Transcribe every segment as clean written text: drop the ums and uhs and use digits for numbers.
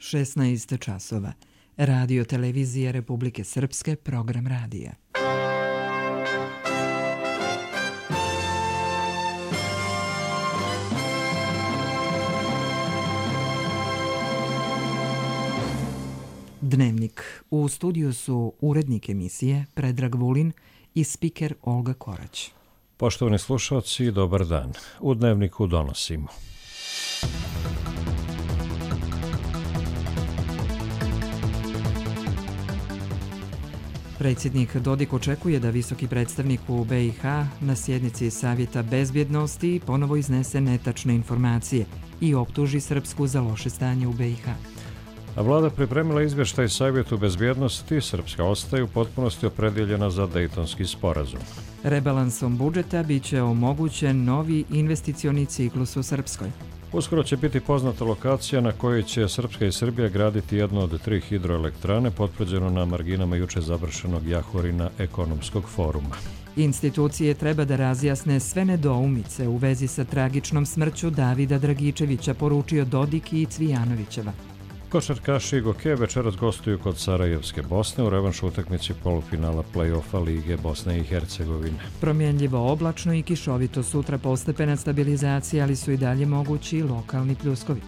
16 časova. Radio Televizije Republike Srpske, program radija. Dnevnik. U studiju su urednik emisije Predrag Vulin i spiker Olga Korać. Poštovani slušalci, dobar dan. U Dnevniku donosimo. Predsjednik Dodik očekuje da visoki predstavnik u BiH na sjednici Savjeta bezbjednosti ponovo iznese netačne informacije i optuži Srpsku za loše stanje u BiH. A vlada pripremila izvještaj Savjetu bezbjednosti, Srpska ostaje u potpunosti opredjeljena za Dejtonski sporazum. Rebalansom budžeta biće omogućen novi investicioni ciklus u Srpskoj. Uskoro će biti poznata lokacija na kojoj će Srpska i Srbija graditi jednu od 3 hidroelektrane, potvrđeno na marginama juče završenog Jahorina ekonomskog foruma. Institucije treba da razjasne sve nedoumice u vezi sa tragičnom smrću Davida Dragičevića, poručio Dodik i Cvijanovićeva. Košarkaši Goke večeras gostuju kod Sarajevske Bosne u revanšu utakmici polufinala play-offa Lige Bosne i Hercegovine. Promjenljivo oblačno i kišovito, sutra postepena stabilizacija, ali su i dalje mogući lokalni pljuskovi.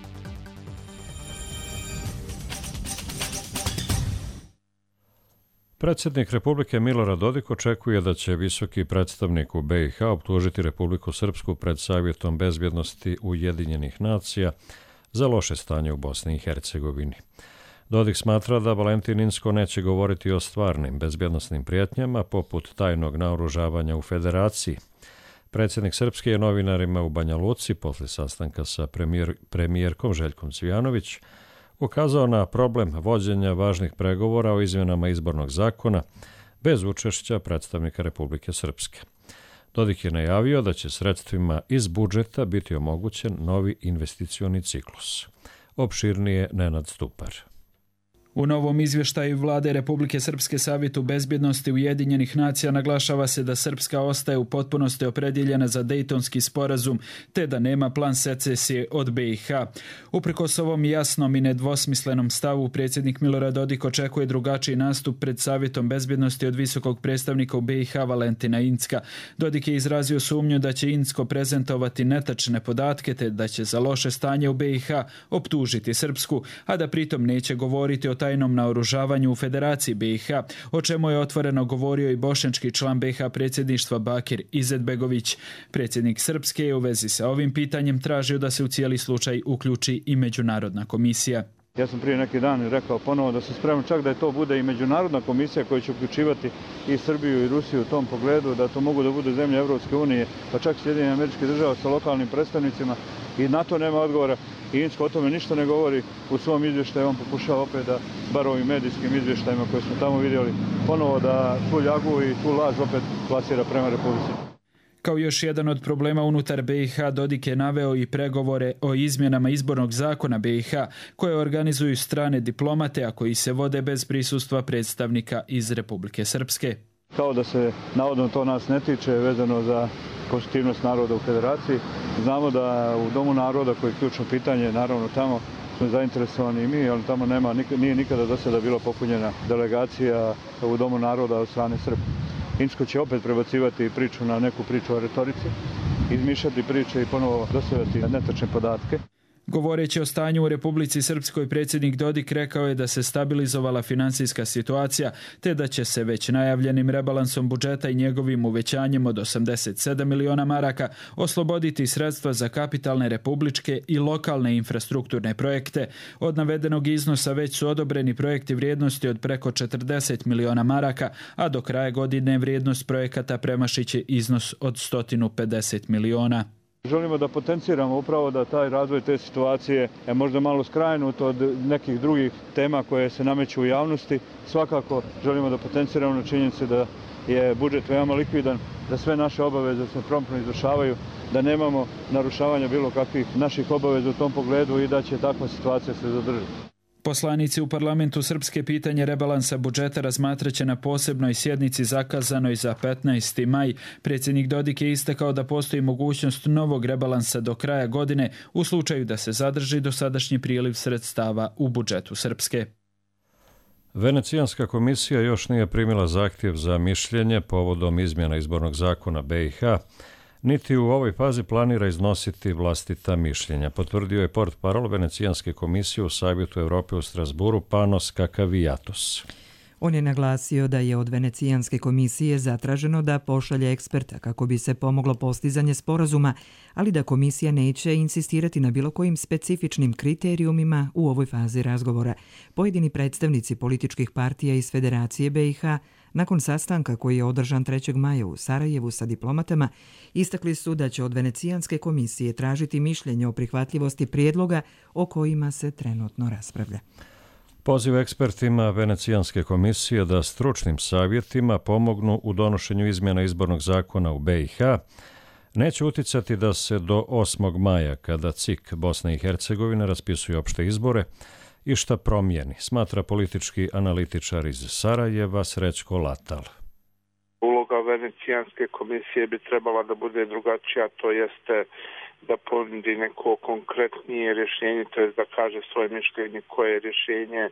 Predsjednik Republike Milorad Dodik očekuje da će visoki predstavnik u BiH optužiti Republiku Srpsku pred Savjetom bezbjednosti Ujedinjenih nacija za loše stanje u Bosni i Hercegovini. Dodik smatra da Valentin Inzko neće govoriti o stvarnim bezbjednosnim prijetnjama poput tajnog naoružavanja u Federaciji. Predsjednik Srpske je novinarima u Banja Luci posle sastanka sa premijerkom Željkom Cvijanović ukazao na problem vođenja važnih pregovora o izmjenama izbornog zakona bez učešća predstavnika Republike Srpske. Dodik je najavio da će sredstvima iz budžeta biti omogućen novi investicioni ciklus. Opširnije Nenad Stupar. U novom izvještaju Vlade Republike Srpske Savjetu bezbjednosti Ujedinjenih nacija naglašava se da Srpska ostaje u potpunosti opredjeljena za Dejtonski sporazum, te da nema plan secesije od BiH. Uprkos ovom jasnom i nedvosmislenom stavu, predsjednik Milorad Dodik očekuje drugačiji nastup pred Savjetom bezbjednosti od visokog predstavnika u BiH Valentina Inzka. Dodik je izrazio sumnju da će Inzko prezentovati netačne podatke, te da će za loše stanje u BiH optužiti Srpsku, a da pritom neće govoriti o tajnom naoružavanju u Federaciji BiH, o čemu je otvoreno govorio i bošnjački član BiH predsjedništva Bakir Izetbegović. Predsjednik Srpske je u vezi sa ovim pitanjem tražio da se u cijeli slučaj uključi i Međunarodna komisija. Ja sam prije neki dan rekao ponovo da se spremam čak da to bude i Međunarodna komisija koja će uključivati i Srbiju i Rusiju u tom pogledu, da to mogu da bude zemlje Evropske unije, pa čak Sjedinjenih Američkih Država sa lokalnim predstavnicima, i na to nema odgovora. I Inzko o tome ništa ne govori u svom izvještaju. On pokušava opet da, bar ovim medijskim izvještajima koje smo tamo vidjeli, ponovo da tu ljagu i tu laž opet plasira prema Republici. Kao još jedan od problema unutar BiH, Dodik je naveo i pregovore o izmjenama izbornog zakona BiH, koje organizuju strane diplomate, a koji se vode bez prisustva predstavnika iz Republike Srpske. Kao da se navodno to nas ne tiče vezano za konstitutivnost naroda u Federaciji. Znamo da u Domu naroda, koji je ključno pitanje, naravno tamo smo zainteresovani i mi, ali tamo nije nikada do sada bila popunjena delegacija u Domu naroda od strane Srba. Inzko će opet prebacivati priču na neku priču o retorici, izmišljati priče i ponovo dostavljati netačne podatke. Govoreći o stanju u Republici Srpskoj, predsjednik Dodik rekao je da se stabilizovala finansijska situacija, te da će se već najavljenim rebalansom budžeta i njegovim uvećanjem od 87 miliona maraka osloboditi sredstva za kapitalne republičke i lokalne infrastrukturne projekte. Od navedenog iznosa već su odobreni projekti vrijednosti od preko 40 miliona maraka, a do kraja godine vrijednost projekata premašiće iznos od 150 miliona. Želimo da potenciramo upravo da taj razvoj te situacije je možda malo skrajnut od nekih drugih tema koje se nameću u javnosti. Svakako želimo da potenciramo na činjenici da je budžet veoma likvidan, da sve naše obaveze se promptno izvršavaju, da nemamo narušavanja bilo kakvih naših obaveza u tom pogledu i da će takva situacija se zadržati. Poslanici u parlamentu Srpske pitanje rebalansa budžeta razmatraće na posebnoj sjednici zakazanoj za 15. maj. Predsjednik Dodik je istakao da postoji mogućnost novog rebalansa do kraja godine u slučaju da se zadrži dosadašnji priliv sredstava u budžetu Srpske. Venecijanska komisija još nije primila zahtjev za mišljenje povodom izmjena izbornog zakona BiH, niti u ovoj fazi planira iznositi vlastita mišljenja, potvrdio je portparol Venecijanske komisije u Savjetu Evrope u Strasburu Panos Kakavijatos. On je naglasio da je od Venecijanske komisije zatraženo da pošalje eksperta kako bi se pomoglo postizanje sporazuma, ali da komisija neće insistirati na bilo kojim specifičnim kriterijumima u ovoj fazi razgovora. Pojedini predstavnici političkih partija iz Federacije BiH nakon sastanka koji je održan 3. maja u Sarajevu sa diplomatama, istakli su da će od Venecijanske komisije tražiti mišljenje o prihvatljivosti prijedloga o kojima se trenutno raspravlja. Poziv ekspertima Venecijanske komisije da stručnim savjetima pomognu u donošenju izmjena izbornog zakona u BiH neće uticati da se do 8. maja, kada CIK Bosne i Hercegovine raspisuje opšte izbore, išta promijeni, smatra politički analitičar iz Sarajeva Srećko Latal. Uloga Venecijanske komisije bi trebala da bude drugačija, to jeste da ponudi neko konkretnije rješenje, to je da kaže svoje mišljenje koje rješenje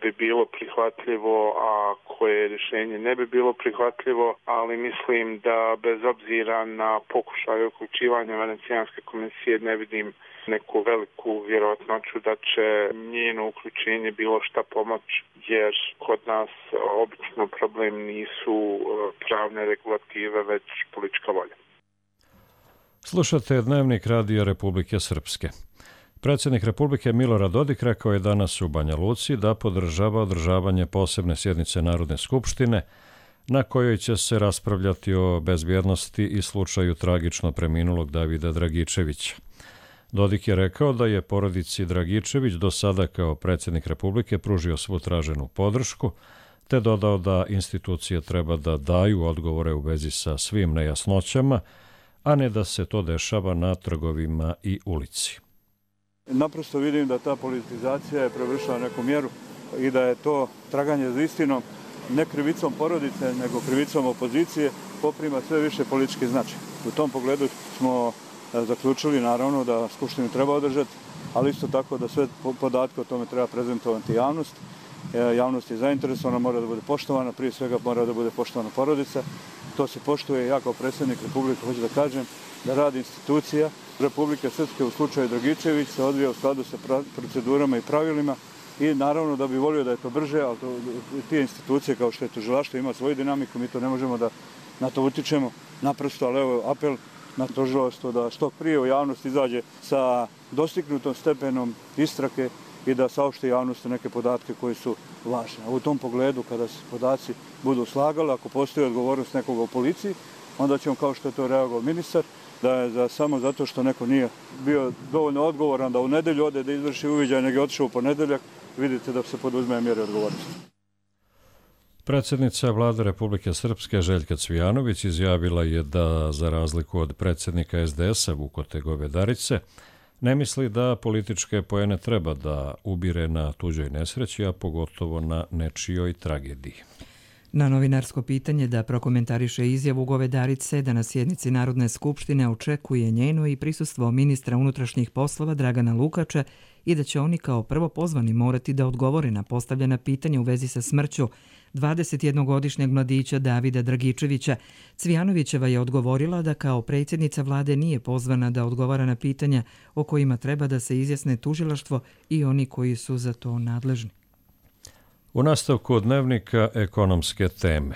bi bilo prihvatljivo, a koje rješenje ne bi bilo prihvatljivo, ali mislim da bez obzira na pokušaj uključivanja Venecijanske komisije ne vidim neku veliku vjerojatnoću da će njeno uključenje bilo šta pomoć, jer kod nas obično problem nisu pravne regulative, već politička volja. Slušate Dnevnik Radija Republike Srpske. Predsjednik Republike Milorad Dodik rekao je danas u Banja Luci da podržava održavanje posebne sjednice Narodne skupštine na kojoj će se raspravljati o bezbjednosti i slučaju tragično preminulog Davida Dragičevića. Dodik je rekao da je porodici Dragičević do sada kao predsjednik Republike pružio svu traženu podršku, te dodao da institucije treba da daju odgovore u vezi sa svim nejasnoćama, a ne da se to dešava na trgovima i ulici. Naprosto vidim da ta politizacija je prevršila neku mjeru i da je to traganje za istinom ne krivicom porodice, nego krivicom opozicije poprima sve više politički značaj. U tom pogledu smo zaključili naravno da skupštinu treba održati, ali isto tako da sve podatke o tome treba prezentovati javnost. Javnost je zainteresovana, mora da bude poštovana, prije svega mora da bude poštovana porodica. To se poštuje. Ja kao predsjednik Republike hoću da kažem da rad institucija Republike Srpske u slučaju Dragičević se odvija u skladu sa procedurama i pravilima i naravno da bi volio da je to brže, ali te institucije kao što je tužilaštvo ima svoju dinamiku, mi to ne možemo da na to utičemo. Naprosto, ali evo apel na tužilaštvo da što prije u javnost izađe sa dostignutom stepenom istrage i da saopšti javnosti neke podatke koji su važne. U tom pogledu, kada se podaci budu slagali, ako postoji odgovornost nekoga u policiji, onda ćemo, kao što je to reagovao ministar, da je samo zato što neko nije bio dovoljno odgovoran da u nedelju ode da izvrši uviđaj, nego je otišao u ponedeljak, vidite da se poduzme mjere odgovornosti. Predsjednica Vlade Republike Srpske Željka Cvijanović izjavila je da, za razliku od predsjednika SDS-a Vukote Govedarice, ne misli da političke poene treba da ubire na tuđoj nesreći, a pogotovo na nečijoj tragediji. Na novinarsko pitanje da prokomentariše izjavu Govedarice da na sjednici Narodne skupštine očekuje njeno i prisustvo ministra unutrašnjih poslova Dragana Lukača i da će oni kao prvo pozvani morati da odgovore na postavljena pitanja u vezi sa smrću 21-godišnjeg mladića Davida Dragičevića, Cvijanovićeva je odgovorila da kao predsjednica vlade nije pozvana da odgovara na pitanja o kojima treba da se izjasne tužilaštvo i oni koji su za to nadležni. U nastavku Dnevnika ekonomske teme.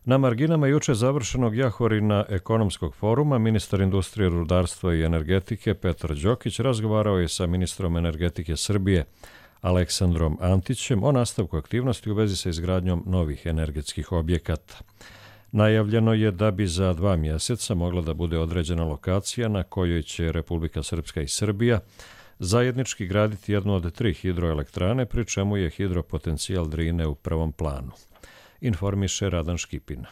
Na marginama juče završenog Jahorina ekonomskog foruma ministar industrije, rudarstva i energetike Petar Đokić razgovarao je sa ministrom energetike Srbije Aleksandrom Antićem o nastavku aktivnosti u vezi sa izgradnjom novih energetskih objekata. Najavljeno je da bi za 2 mjeseca mogla da bude određena lokacija na kojoj će Republika Srpska i Srbija zajednički graditi jednu od 3 hidroelektrane, pri čemu je hidropotencijal Drine u prvom planu. Informiše Radan Škipina.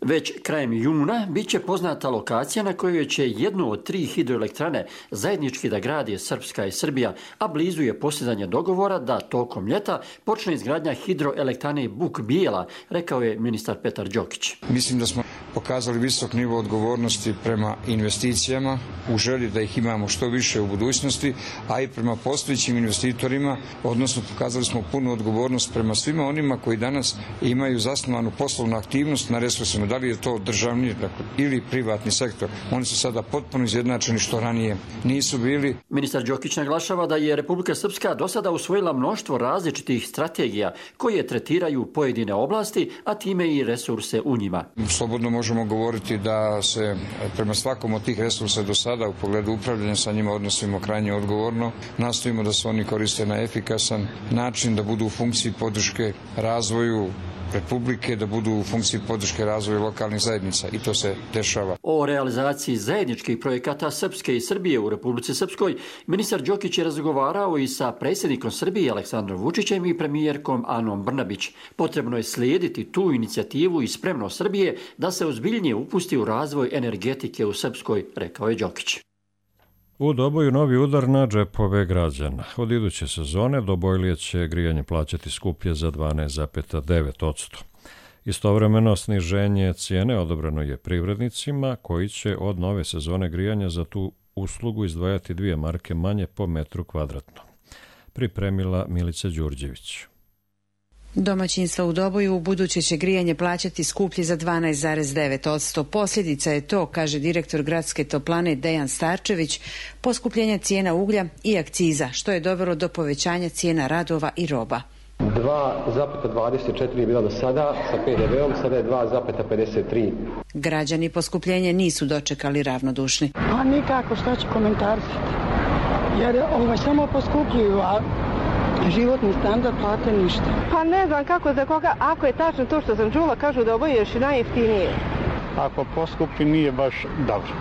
Već krajem juna bit će poznata lokacija na kojoj će jednu od 3 hidroelektrane zajednički da gradi Srpska i Srbija, a blizu je postizanje dogovora da tokom ljeta počne izgradnja hidroelektrane Buk Bijela, rekao je ministar Petar Đokić. Mislim da smo pokazali visok nivo odgovornosti prema investicijama, u želji da ih imamo što više u budućnosti, a i prema postojećim investitorima, odnosno pokazali smo punu odgovornost prema svima onima koji danas imaju zasnovanu poslovnu aktivnost na resursima, da li je to državni ili privatni sektor. Oni su sada potpuno izjednačeni što ranije nisu bili. Ministar Đokić naglašava da je Republika Srpska do sada usvojila mnoštvo različitih strategija koje tretiraju pojedine oblasti, a time i resurse u njima. Slobodno možemo govoriti da se prema svakom od tih resursa do sada u pogledu upravljanja sa njima odnosimo krajnje odgovorno. Nastojimo da se oni koriste na efikasan način, da budu u funkciji podrške razvoju Republike, da budu u funkciji podrške razvoja lokalnih zajednica i to se dešava. O realizaciji zajedničkih projekata Srpske i Srbije u Republici Srpskoj ministar Đokić je razgovarao i sa predsjednikom Srbije Aleksandrom Vučićem i premijerkom Anom Brnabić. Potrebno je slijediti tu inicijativu i spremnost Srbije da se ozbiljnije upusti u razvoj energetike u Srpskoj, rekao je Đokić. U Doboju novi udar na džepove građana. Od iduće sezone Dobojlije će grijanje plaćati skuplje za 12,9%. Istovremeno sniženje cijene odobreno je privrednicima koji će od nove sezone grijanja za tu uslugu izdvajati 2 marke manje po metru kvadratnom. Pripremila Milica Đurđević. Domaćinstva u Doboju u buduće će grijanje plaćati skuplje za 12,9%. Posljedica je to, kaže direktor gradske toplane Dejan Starčević, poskupljenja cijena uglja i akciza, što je dovelo do povećanja cijena radova i roba. 2,24 je bila do sada sa PDV-om, sada je 2,53. Građani poskupljenje nisu dočekali ravnodušni. A nikako, šta ću komentarisati? Jer samo poskupljuju, a životni standard plate ništa. Pa ne znam kako za koga, ako je tačno to što sam čula, kažu da oboje još i najjeftinije. Ako poskupi nije baš dobro.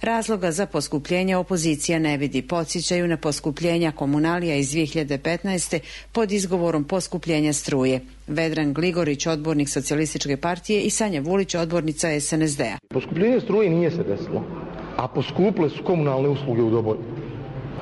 Razloga za poskupljenje opozicija ne vidi. Podsjećaju na poskupljenja komunalija iz 2015. pod izgovorom poskupljenja struje. Vedran Gligorić, odbornik Socijalističke partije, i Sanja Vulić, odbornica SNSD-a. Poskupljenje struje nije se desilo, a poskupile su komunalne usluge u Doboju.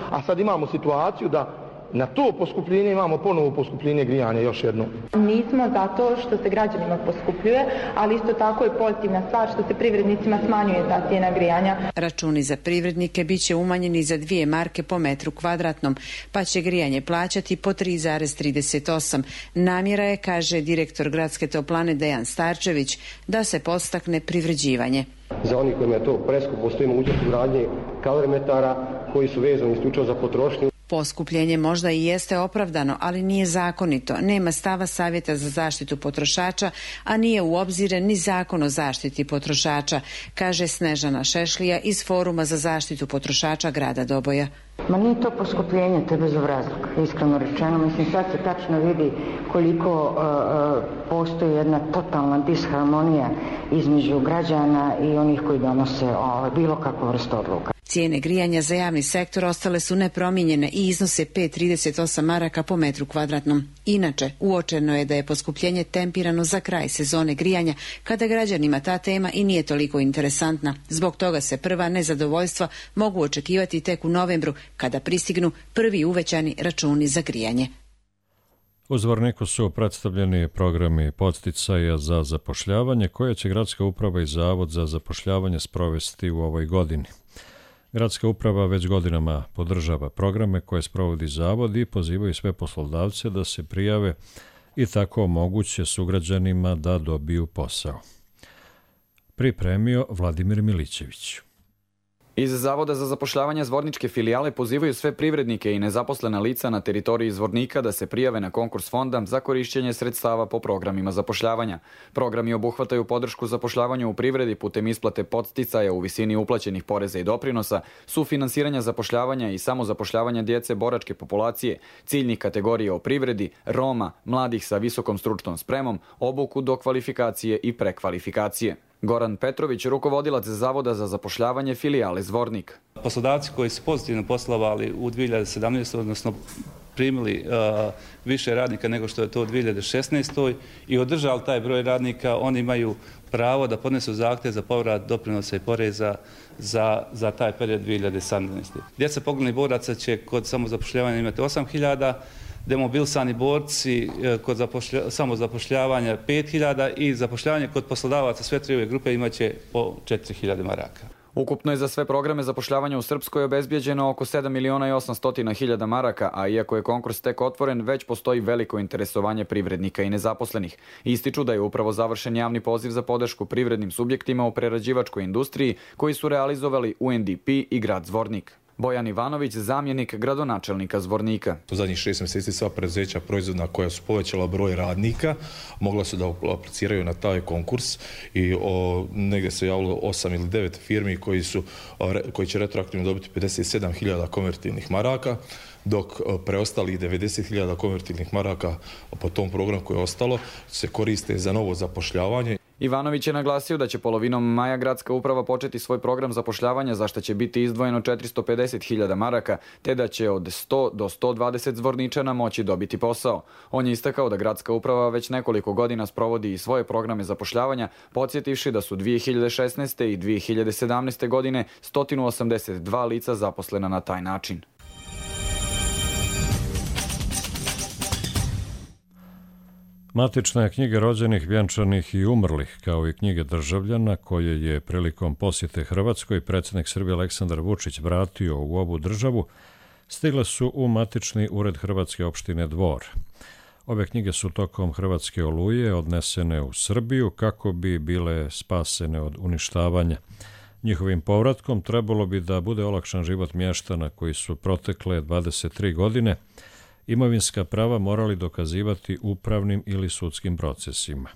A sad imamo situaciju da na to poskupljenje imamo ponovo poskupljenje grijanja još jedno. Nismo zato što se građanima poskupljuje, ali isto tako je pozitivna stvar što se privrednicima smanjuje ta cijena grijanja. Računi za privrednike bit će umanjeni za 2 marke po metru kvadratnom, pa će grijanje plaćati po 3,38. Namjera je, kaže direktor gradske toplane Dejan Starčević, da se podstakne privređivanje. Za onih kojima je to preskupo, postoji mogućnost ugradnje kalorimetara koji su vezani isključivo za potrošnju. Poskupljenje možda i jeste opravdano, ali nije zakonito. Nema stava Savjeta za zaštitu potrošača, a nije u obzir ni Zakon o zaštiti potrošača, kaže Snežana Šešlija iz Foruma za zaštitu potrošača grada Doboja. Ma nije to poskupljenje, te bezobrazluk, iskreno rečeno. Mislim, sad se tačno vidi koliko postoji jedna totalna disharmonija između građana i onih koji donose bilo kakvu vrstu odluka. Cijene grijanja za javni sektor ostale su nepromijenjene i iznose 5,38 maraka po metru kvadratnom. Inače, uočeno je da je poskupljenje tempirano za kraj sezone grijanja, kada građanima ta tema i nije toliko interesantna. Zbog toga se prva nezadovoljstva mogu očekivati tek u novembru, kada pristignu prvi uvećani računi za grijanje. U Zvorniku su predstavljeni programi podsticaja za zapošljavanje koje će Gradska uprava i Zavod za zapošljavanje sprovesti u ovoj godini. Gradska uprava već godinama podržava programe koje sprovodi Zavod i pozivaju sve poslodavce da se prijave i tako omoguće sugrađanima da dobiju posao. Pripremio Vladimir Milićević. Iz Zavoda za zapošljavanje Zvorničke filijale pozivaju sve privrednike i nezaposlena lica na teritoriji Zvornika da se prijave na konkurs fonda za korišćenje sredstava po programima zapošljavanja. Programi obuhvataju podršku zapošljavanju u privredi putem isplate podsticaja u visini uplaćenih poreza i doprinosa, sufinansiranja zapošljavanja i samozapošljavanja djece boračke populacije, ciljnih kategorija o privredi, Roma, mladih sa visokom stručnom spremom, obuku do kvalifikacije i prekvalifikacije. Goran Petrović, rukovodilac Zavoda za zapošljavanje filijale Zvornik. Poslodavci koji su pozitivno poslovali u 2017. odnosno primili više radnika nego što je to u 2016. i održali taj broj radnika, oni imaju pravo da podnesu zahtjev za povrat doprinosa i poreza za taj period 2017. Djeca poginulih boraca će kod samozapošljavanja imati 8.000, demobilisani borci kod samozapošljavanja 5.000 i zapošljavanje kod poslodavaca sve tri ove grupe imaće po 4.000 maraka. Ukupno je za sve programe zapošljavanja u Srpskoj obezbijeđeno oko 7.800.000 maraka, a iako je konkurs tek otvoren, već postoji veliko interesovanje privrednika i nezaposlenih. Ističu da je upravo završen javni poziv za podršku privrednim subjektima u prerađivačkoj industriji koji su realizovali UNDP i grad Zvornik. Bojan Ivanović, zamjenik gradonačelnika Zvornika. U zadnjih 6 mjeseci sva preduzeća proizvodna koja su povećala broj radnika mogla su da apliciraju na taj konkurs i negdje se javilo 8 ili 9 firmi koji će retroaktivno dobiti 57.000 konvertivnih maraka, dok preostalih 90.000 konvertivnih maraka po tom programu koje je ostalo se koriste za novo zapošljavanje. Ivanović je naglasio da će polovinom maja gradska uprava početi svoj program zapošljavanja za što će biti izdvojeno 450.000 maraka, te da će od 100 do 120 Zvorničana moći dobiti posao. On je istakao da gradska uprava već nekoliko godina sprovodi i svoje programe zapošljavanja, podsjetivši da su 2016. i 2017. godine 182 lica zaposlena na taj način. Matična je knjiga rođenih, vjenčanih i umrlih, kao i knjige državljana koje je prilikom posjete Hrvatskoj predsjednik Srbije Aleksandar Vučić vratio u ovu državu, stigle su u matični ured Hrvatske opštine Dvor. Ove knjige su tokom Hrvatske oluje odnesene u Srbiju kako bi bile spasene od uništavanja. Njihovim povratkom trebalo bi da bude olakšan život mještana koji su protekle 23 godine imovinska prava morali dokazivati upravnim ili sudskim procesima.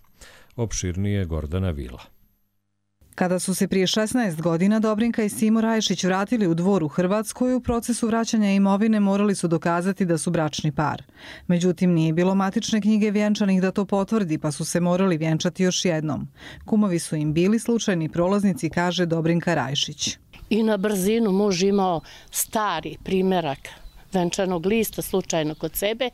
Opširnije Gordana Vila. Kada su se prije 16 godina Dobrinka i Simo Rajšić vratili u Dvor u Hrvatskoj, u procesu vraćanja imovine morali su dokazati da su bračni par. Međutim, nije bilo matične knjige vjenčanih da to potvrdi, pa su se morali vjenčati još jednom. Kumovi su im bili slučajni prolaznici, kaže Dobrinka Rajšić. I na brzinu muž imao stari primjerak venčanog lista slučajno kod sebe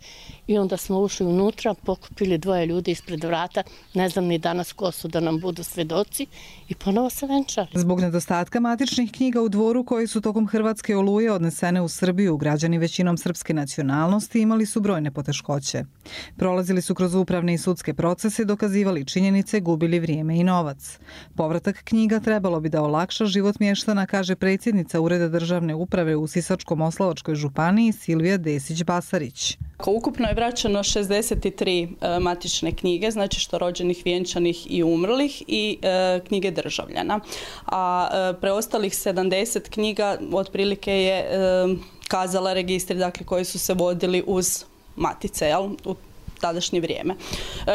i onda smo ušli unutra, pokupili dvoje ljudi ispred vrata, ne znam ni danas ko su da nam budu svedoci i ponovo se venčali. Zbog nedostatka matičnih knjiga u Dvoru koji su tokom Hrvatske oluje odnesene u Srbiju, građani većinom srpske nacionalnosti imali su brojne poteškoće. Prolazili su kroz upravne i sudske procese, dokazivali činjenice, gubili vrijeme i novac. Povratak knjiga trebalo bi da olakša život mještana, kaže predsjednica Ureda državne uprave u Sisačko-Moslavačkoj županiji Silvija Desić-Basarić. Ukupno je vraćeno 63 matične knjige, znači što rođenih, vjenčanih i umrlih i knjige državljana. A preostalih 70 knjiga otprilike je kazala registri, dakle, koji su se vodili uz matice, u tadašnje vrijeme.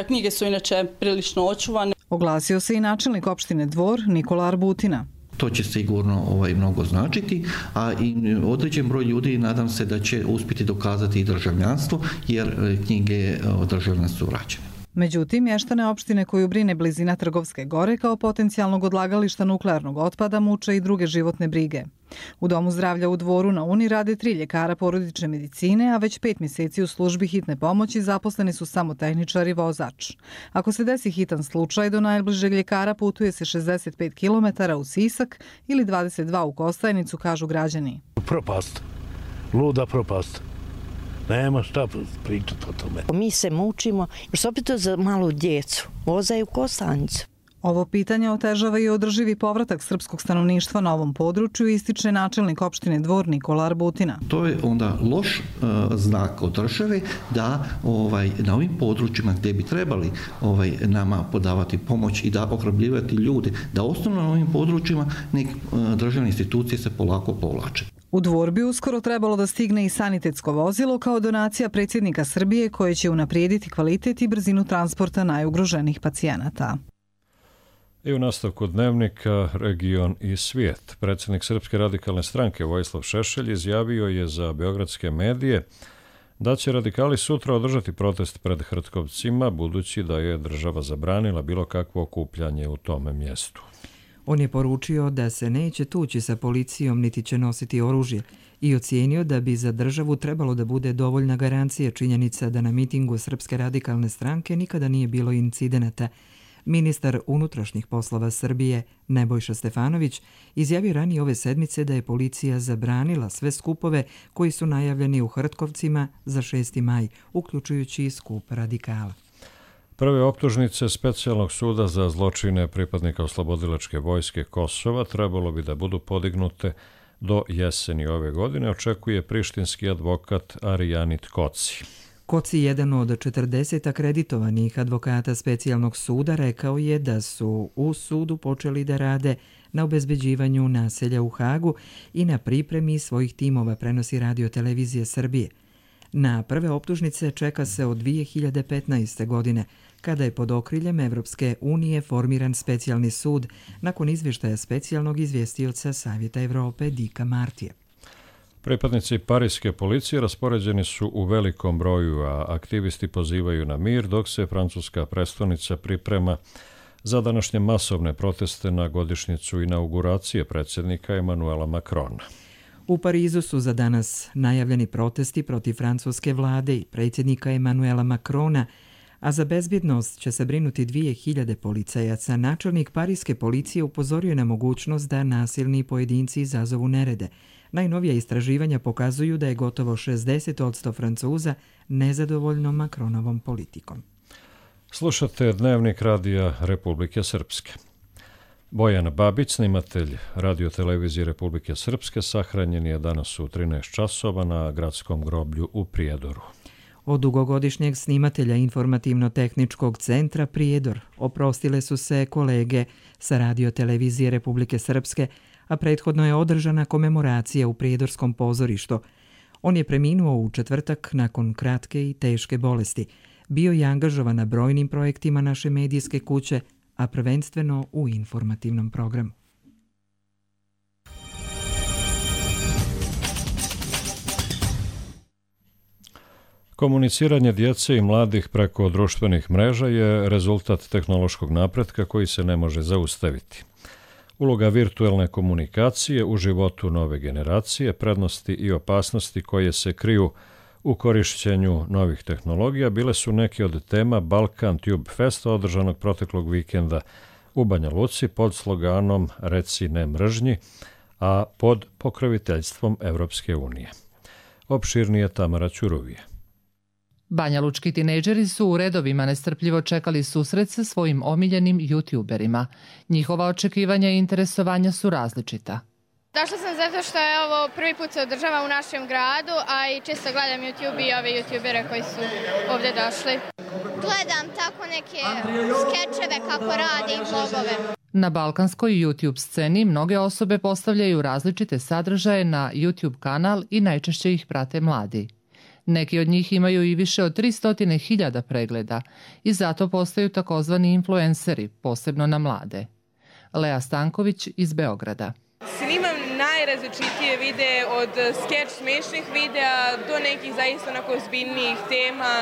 Knjige su inače prilično očuvane. Oglasio se i načelnik opštine Dvor Nikola Arbutina. To će sigurno mnogo značiti, a i određen broj ljudi nadam se da će uspjeti dokazati i državljanstvo, jer knjige o državljanstvu su vraćene. Međutim, mještane opštine koju brine blizina Trgovske gore kao potencijalnog odlagališta nuklearnog otpada muče i druge životne brige. U Domu zdravlja u Dvoru na Uni rade 3 ljekara porodične medicine, a već 5 mjeseci u službi hitne pomoći zaposleni su samo tehničar i vozač. Ako se desi hitan slučaj, do najbližeg ljekara putuje se 65 km u Sisak ili 22 u Kostajnicu, kažu građani. Propast, luda propast. Nema šta pričati o tome. Mi se mučimo, još opet za malu djecu, vozaju u Kostajnicu. Ovo pitanje otežava i održivi povratak srpskog stanovništva na ovom području, ističe načelnik opštine Dvor Nikola Arbutina. To je onda loš znak od države da na ovim područjima gdje bi trebali nama podavati pomoć i da ohrabljivati ljude, da ostanu na ovim područjima nek državne institucije se polako povlače. U Dvor bi uskoro trebalo da stigne i sanitetsko vozilo kao donacija predsjednika Srbije koje će unaprijediti kvalitet i brzinu transporta najugroženih pacijenata. I u nastavku dnevnika Region i svijet. Predsjednik Srpske radikalne stranke Vojislav Šešelj izjavio je za beogradske medije da će radikali sutra održati protest pred Hrtkovcima, budući da je država zabranila bilo kakvo okupljanje u tome mjestu. On je poručio da se neće tući sa policijom niti će nositi oružje i ocijenio da bi za državu trebalo da bude dovoljna garancija činjenica da na mitingu Srpske radikalne stranke nikada nije bilo incidenata. Ministar unutrašnjih poslova Srbije Nebojša Stefanović izjavio ranije ove sedmice da je policija zabranila sve skupove koji su najavljeni u Hrtkovcima za 6. maj, uključujući i skup radikala. Prve optužnice Specijalnog suda za zločine pripadnika oslobodilačke vojske Kosova trebalo bi da budu podignute do jeseni ove godine, očekuje prištinski advokat Arijanit Koci. Koci, jedan od 40 akreditovanih advokata Specijalnog suda, rekao je da su u sudu počeli da rade na obezbeđivanju naselja u Hagu i na pripremi svojih timova, prenosi Radio Televizija Srbije. Na prve optužnice čeka se od 2015. godine, kada je pod okriljem Evropske unije formiran specijalni sud nakon izvještaja specijalnog izvjestioca Savjeta Evrope Dika Martija. Pripadnici parijske policije raspoređeni su u velikom broju, a aktivisti pozivaju na mir, dok se francuska prestonica priprema za današnje masovne proteste na godišnjicu inauguracije predsjednika Emanuela Macrona. U Parizu su za danas najavljeni protesti protiv francuske vlade i predsjednika Emanuela Macrona, a za bezbjednost će se brinuti 2000 policajaca. Načelnik parijske policije upozorio na mogućnost da nasilni pojedinci izazovu nerede. Najnovija istraživanja pokazuju da je gotovo 60% Francuza nezadovoljno Macronovom politikom. Slušate Dnevnik Radija Republike Srpske. Bojan Babić, snimatelj Radio Televizije Republike Srpske, sahranjen je danas u 13 časova na gradskom groblju u Prijedoru. Od dugogodišnjeg snimatelja Informativno-tehničkog centra Prijedor oprostile su se kolege sa Radio Televizije Republike Srpske, a prethodno je održana komemoracija u Prijedorskom pozorištu. On je preminuo u četvrtak nakon kratke i teške bolesti. Bio je angažovan na brojnim projektima naše medijske kuće, a prvenstveno u informativnom programu. Komuniciranje djece i mladih preko društvenih mreža je rezultat tehnološkog napretka koji se ne može zaustaviti. Uloga virtuelne komunikacije u životu nove generacije, prednosti i opasnosti koje se kriju u korišćenju novih tehnologija bile su neke od tema Balkan Tube Festa održanog proteklog vikenda u Banja Luci pod sloganom Reci ne mržnji, a pod pokroviteljstvom Evropske unije. Opširnije Tamara Ćuruvije. Banjalučki tinejdžeri su u redovima nestrpljivo čekali susret sa svojim omiljenim youtuberima. Njihova očekivanja i interesovanja su različita. Došla sam zato što je ovo prvi put se održava u našem gradu, a i često gledam YouTube i ove youtubere koji su ovdje došli. Gledam tako neke skečeve kako radi i vlogove. Na balkanskoj YouTube sceni mnoge osobe postavljaju različite sadržaje na YouTube kanal i najčešće ih prate mladi. Neki od njih imaju i više od 300.000 pregleda i zato postaju takozvani influenceri, posebno na mlade. Lea Stanković iz Beograda. Snimam najrazličitije videe od skeč smešnih videa do nekih zaista onako ozbiljnijih tema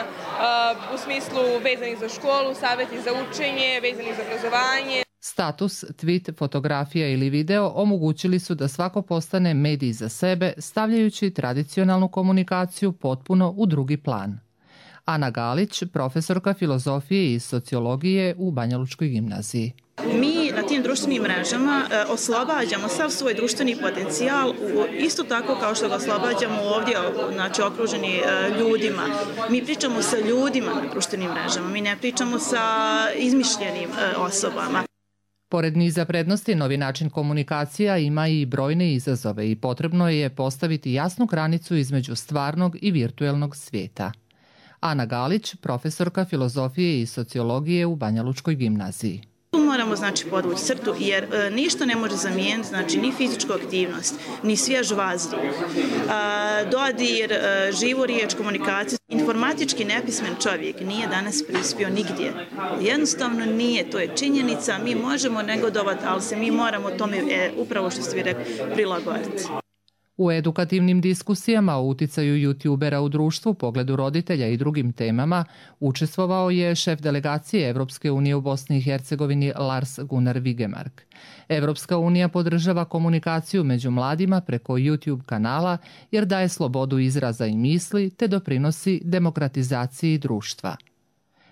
u smislu vezanih za školu, savjeti za učenje, vezanih za obrazovanje. Status, tweet, fotografija ili video omogućili su da svako postane medij za sebe, stavljajući tradicionalnu komunikaciju potpuno u drugi plan. Ana Galić, profesorka filozofije i sociologije u Banjalučkoj gimnaziji. Mi na tim društvenim mrežama oslobađamo sav svoj društveni potencijal, isto tako kao što ga oslobađamo ovdje, znači okruženi ljudima. Mi pričamo sa ljudima na društvenim mrežama, mi ne pričamo sa izmišljenim osobama. Pored niza prednosti, novi način komunikacija ima i brojne izazove i potrebno je postaviti jasnu granicu između stvarnog i virtuelnog svijeta. Ana Galić, profesorka filozofije i sociologije u Banjalučkoj gimnaziji. Tu moramo podvući crtu jer ništa ne može zamijeniti, ni fizičku aktivnost, ni svjež vazduh, dodir, živu riječ, komunikaciju. Informatički nepismen čovjek nije danas prispio nigdje. Jednostavno nije, to je činjenica, mi možemo negodovati, ali se mi moramo tome, upravo što ste vi rekli, prilagoditi. U edukativnim diskusijama o uticaju youtubera u društvu, pogledu roditelja i drugim temama učestvovao je šef delegacije Evropske unije u Bosni i Hercegovini Lars Gunnar Vigemark. Evropska unija podržava komunikaciju među mladima preko YouTube kanala jer daje slobodu izraza i misli te doprinosi demokratizaciji društva.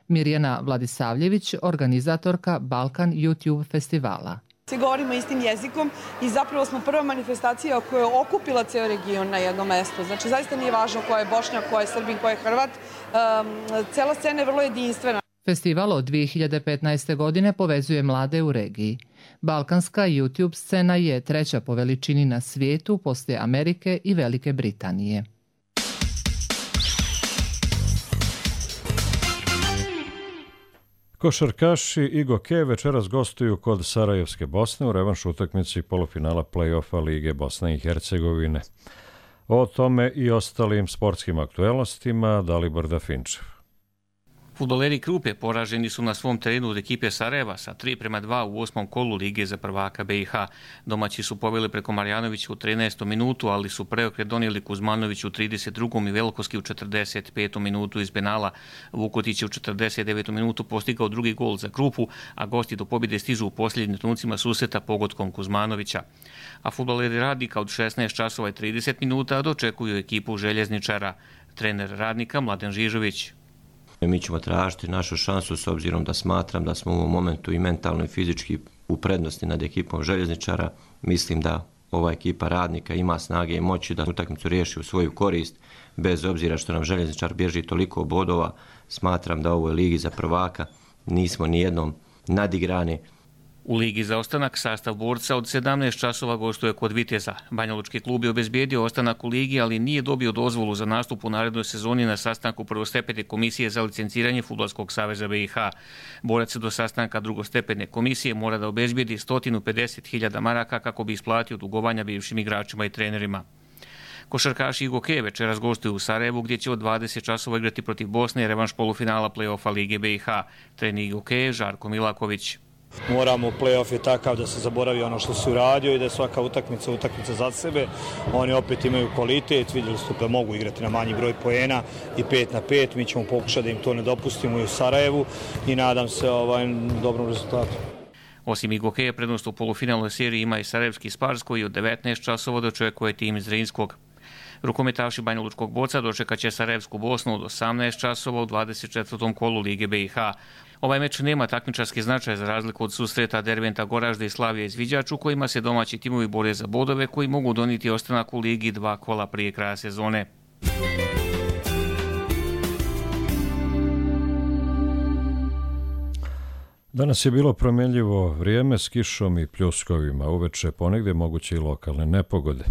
Mirjana Vladisavljević, organizatorka Balkan YouTube festivala. Svi govorimo istim jezikom i zapravo smo prva manifestacija koja je okupila ceo region na jedno mesto. Znači, zaista nije važno ko je Bošnjak, ko je Srbin, ko je Hrvat. Cela scena je vrlo jedinstvena. Festival od 2015. godine povezuje mlade u regiji. Balkanska YouTube scena je treća po veličini na svijetu poslije Amerike i Velike Britanije. Košarkaši i gokeje večeras gostuju kod Sarajevske Bosne u revanšu utakmici polufinala play-offa Lige Bosne i Hercegovine. O tome i ostalim sportskim aktuelnostima Dalibor Dafinčev. Fudbaleri Krupe poraženi su na svom terenu od ekipe Sarajeva sa 3:2 u 8. kolu Lige za prvaka BiH. Domaći su poveli preko Marjanovića u 13. minutu, ali su preokret donijeli Kuzmanović u 32. i Velkoski u 45. minutu iz penala. Vukotić je u 49. minutu postigao drugi gol za Krupu, a gosti do pobjede stižu u posljednjim trenucima susreta pogodkom Kuzmanovića. A fudbaleri Radnika od 16 časova i 30 minuta dočekuju ekipu Željezničara. Trener Radnika Mladen Žižović. Mi ćemo tražiti našu šansu s obzirom da smatram da smo u ovom momentu i mentalno i fizički u prednosti nad ekipom Željezničara. Mislim da ova ekipa Radnika ima snage i moći da utakmicu riješi u svoju korist, bez obzira što nam Željezničar bježi toliko bodova. Smatram da u ovoj ligi za prvaka nismo ni jednom nadigrani. U Ligi za ostanak sastav borca od 17 časova gostuje kod Viteza. Banjalučki klub je obezbijedio ostanak u ligi, ali nije dobio dozvolu za nastup u narednoj sezoni na sastanku prvostepene komisije za licenciranje Fudbalskog saveza BiH. Borac do sastanka drugostepene komisije mora da obezbijedi 150.000 maraka kako bi isplatio dugovanja bivšim igračima i trenerima. Košarkaši i gokeje večeras gostuju u Sarajevu gdje će od 20 časova igrati protiv Bosne i revanš polufinala play-offa Lige BiH. Trener gokeje Žarko Milaković. Moramo, play-off je takav da se zaboravi ono što se uradio i da je svaka utakmica za sebe. Oni opet imaju kvalitet, vidjeli ste da mogu igrati na manji broj poena i 5-5. Mi ćemo pokušati da im to ne dopustimo i u Sarajevu i nadam se dobrom rezultatu. Osim i gokeje, prednost u polufinalnoj seriji ima i Sarajevski Spars koji od 19 časova dočekuje tim iz Zrinskog. Rukometaši Banjalučkog borca dočekat će Sarajevsku Bosnu od 18 časova u 24. kolu Lige BiH. Ovaj meč nema takmičarski značaj za razliku od susreta Derventa Goražde i Slavija Izviđač u kojima se domaći timovi bore za bodove koji mogu donijeti ostanak u ligi 2 kola prije kraja sezone. Danas je bilo promjenljivo vrijeme s kišom i pljuskovima, uveče ponegdje moguće i lokalne nepogode.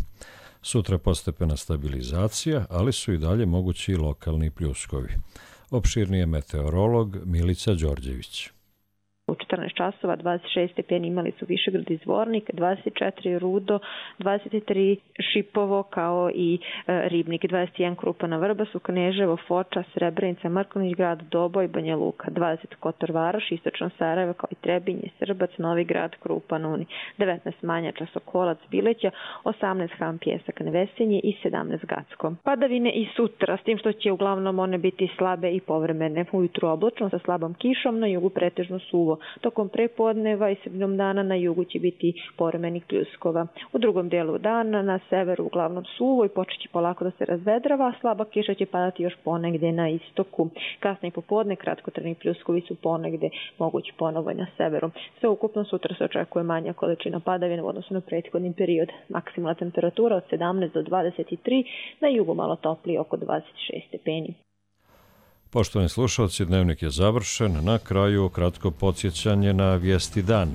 Sutra postepena stabilizacija, ali su i dalje mogući i lokalni pljuskovi. Opširnije meteorolog Milica Đorđević. U 14 časova 26 stepeni imali su Višegrad i Zvornik, 24 Rudo, 23 Šipovo kao i Ribnik, 21 Krupana, Vrbasu, Kneževo, Foča, Srebrenica, Mrkonjić Grad, Doboj, Banja Luka, 20 Kotor Varoš, Istočno Sarajevo kao i Trebinje, Srbac, Novi Grad, Krupan, Uni, 19 Manjača, Sokolac, Bileća, 18 Ham, Pjesak, Nevesinje i 17 Gacko. Padavine i sutra, s tim što će uglavnom one biti slabe i povremene. Ujutru oblačno sa slabom kišom, na jugu pretežno suvo. Tokom prepodneva i sredinom dana na jugu će biti povremenih pljuskova. U drugom dijelu dana na severu uglavnom suvo i počet će polako da se razvedrava, a slaba kiša će padati još ponegde na istoku. Kasnije popodne kratkotrajni pljuskovi su ponegde mogući ponovo na severu. Sve ukupno sutra se očekuje manja količina padavina u odnosu na prethodni period. Maksimalna temperatura od 17 do 23, na jugu malo toplije oko 26 stepeni. Poštovani slušalci, dnevnik je završen. Na kraju kratko podsjećanje na vijesti dana.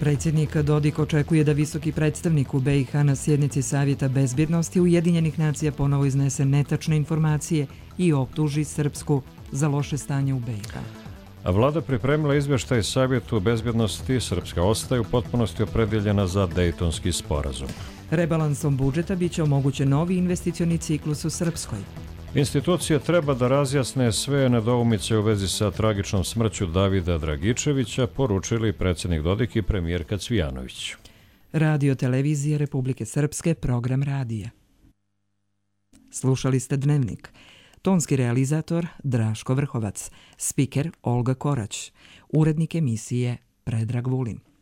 Predsjednik Dodik očekuje da visoki predstavnik u BiH na sjednici Savjeta bezbjednosti Ujedinjenih nacija ponovo iznese netačne informacije i optuži Srpsku za loše stanje u BiH. A vlada pripremila izvještaj Savjetu bezbjednosti. Srpska ostaje u potpunosti opredjeljena za Dejtonski sporazum. Rebalansom budžeta biće omogućen novi investicioni ciklus u Srpskoj. Institucije treba da razjasne sve nedoumice u vezi sa tragičnom smrću Davida Dragičevića, poručili predsjednik Dodik i premijerka Cvijanović. Radio Televizije Republike Srpske, program radija. Slušali ste Dnevnik. Tonski realizator Draško Vrhovac, spiker Olga Korać, urednik emisije Predrag Vulin.